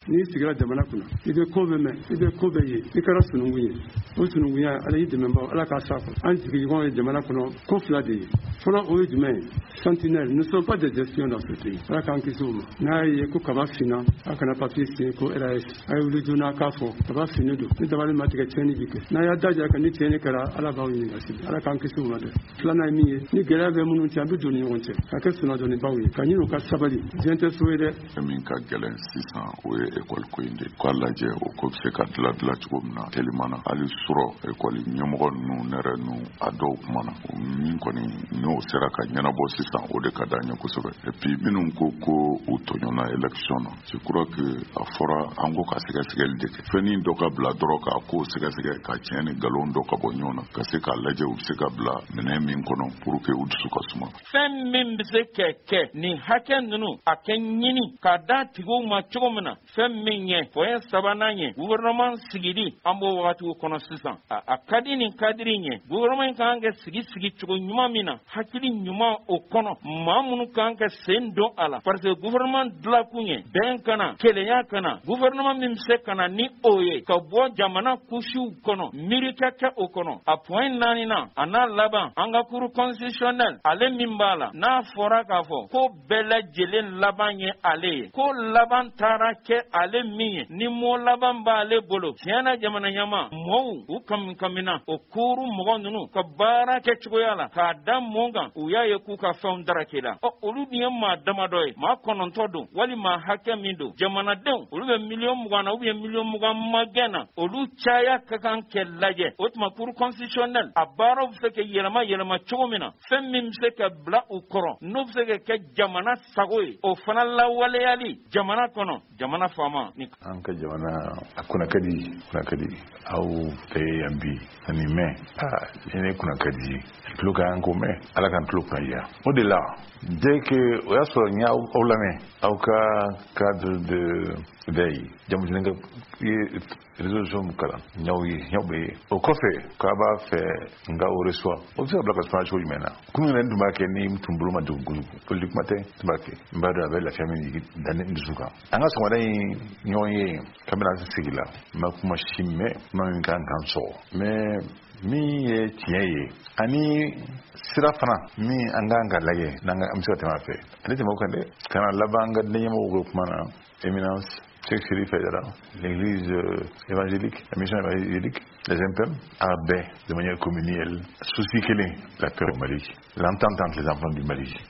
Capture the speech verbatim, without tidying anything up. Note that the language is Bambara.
N'i sigira jamana kunna, i bɛ ko bɛ mɛn, i bɛ ko bɛ ye, i kɛra sununkun ye. O sununkunya, Ala y'i dɛmɛbaw, Ala k'a sa kɔrɔ. An sigiɲɔgɔn ye jamana kɔnɔ, ko fila de ye fɔlɔ. O ye jumɛn ye? Sentinelle, nous ne sommes pas des espions dans ce pays. Ala k'an kisi o ma. N'a ye ko kaba finna, a kana papier signé ko R A S. A ye wuli joona k'a fɔ kaba finnen don. Ni dabali ma tigɛ, tiɲɛni bi kɛ. N'a y'a daja ka ni tiɲɛni kɛra, Ala b'aw ɲininka sini. Ala k'an kisi o ma dɛ. Filanan ye min ye, ni gɛlɛya bɛ minnu cɛ, an bɛ don ni ɲɔgɔn cɛ ka kɛ sunnadɔnnibaw ye, ka ɲini u ka sabali. Diɲɛ tɛ so ye dɛ. Min ka gɛlɛn sisan, o ye ekɔli ko in de k'a lajɛ, o ko bɛ se ka dila dila cogo min na telima na. Hali sɔrɔ ekɔli ɲɛmɔgɔ ninnu, ne yɛrɛ ninnu, a dɔw kumana min kɔni, n'o sera ka ɲɛnabɔ sisan, o de ka d'an ye kosɛbɛ. Et puis minnu ko ko u tɔɲɔna élection na, je crois que a fɔra an ko ka sɛgɛsɛgɛli de kɛ, fɛnnin dɔ ka bila dɔrɔn k'a ko sɛgɛsɛgɛ, ka tiɲɛ ni nkalon dɔ ka bɔ ɲɔgɔn na, ka se k'a lajɛ u bɛ se ka bila minɛn min kɔnɔ pour que u dusu ka suma. Fɛn min bɛ se ka kɛ nin hakɛ ninnu, a kɛ ɲini k'a da tigiw ma cogo min na. Fɛn min ye point sabanan ye, gouvernement sigili, an b'o wagatiw kɔnɔ sisan. A ka di nin cadre in ye, gouvernement in kan ka sigi sigi cogo ɲuman min na, hakili ɲuman o kɔnɔ, maa minnu kan ka sen don a la, parce que gouvernement dilankun ye bɛn kana, kelenya kana. Gouvernement min bɛ se ka na ni o ye ka bɔ jamana kusiw kɔnɔ, miiri ka kɛ o kɔnɔ. A point naaninan, a n'a laban, an ka cour constitutionnelle, ale min b'a la, n'a fɔra k'a fɔ ko bɛɛ lajɛlen laban ye ale ye, ko laban taara kɛ ale min ye, ni mɔ laban b'ale bolo tiɲɛna, jamana ɲama mɔɔw u kami kamina o kuuru mɔgɔ ninnu ka baara kɛ cogoya la k'a da mun kan? U y'a ye k'u ka fɛnw darake la. Ɔ, olu dun ye maa damadɔ ye, maa kɔnɔntɔ don wali maa hakɛ min don. Jamanadenw, olu bɛ miliyɔn mugan na, ou bien miliyɔn mugan magɛn na, olu caya ka kan kɛ lajɛ. O tuma cour constitutionnelle, a baaraw bɛ se ka yɛlɛma yɛlɛma cogo min na, fɛn min bɛ se ka bila u kɔrɔ, n'o bɛ se ka kɛ jamana sago ye, o fana lawaleyali jamana kɔnɔ, jamana faama ni An ka jamana a kunna ka di, kunna ka di aw fɛ yan bi ani mɛn. Aa, ni ne kunna ka di ye, tulo ka kan k'o mɛn. Ala k'an tulo kunna diya. O de la, dès que o y'a sɔrɔ n y'aw aw lamɛn aw ka cadre de veille jamu ka ye résolution min kalan, n y'aw ye, n y'aw bɛ ye. O kɔfɛ k'a b'a fɛ n ka o reçoit, o bɛ se ka bila ka sumaya cogo jumɛn na? Kun yɛrɛ n tun b'a kɛ ni n tun bolo ma degun kojugu, politique kuma tɛ, n tun b'a kɛ. N b'a dɔn a bɛ lafiya min jigin da ne dusu kan. An ka sɔgɔmada in ɲɔgɔn ye, kabini an sigi la, n ma kuma si mɛn, kuma min kan k'an sɔgɔ. Mais min ye tiɲɛ ye, ani sira fana min an kan ka lajɛ n'an ka an bɛ se ka tɛmɛ a fɛ, ale tɛmɛ o kan dɛ, ka na laban an ka ɲɛmɔgɔw ka kuma na. Éminence Cheikh Chérif Aïdara, l'église euh, évangélique, la mission évangélique, les M P M, a bɛɛ de manière communale, souci kelen, la paix au Mali, l'entente entre les enfants du Mali.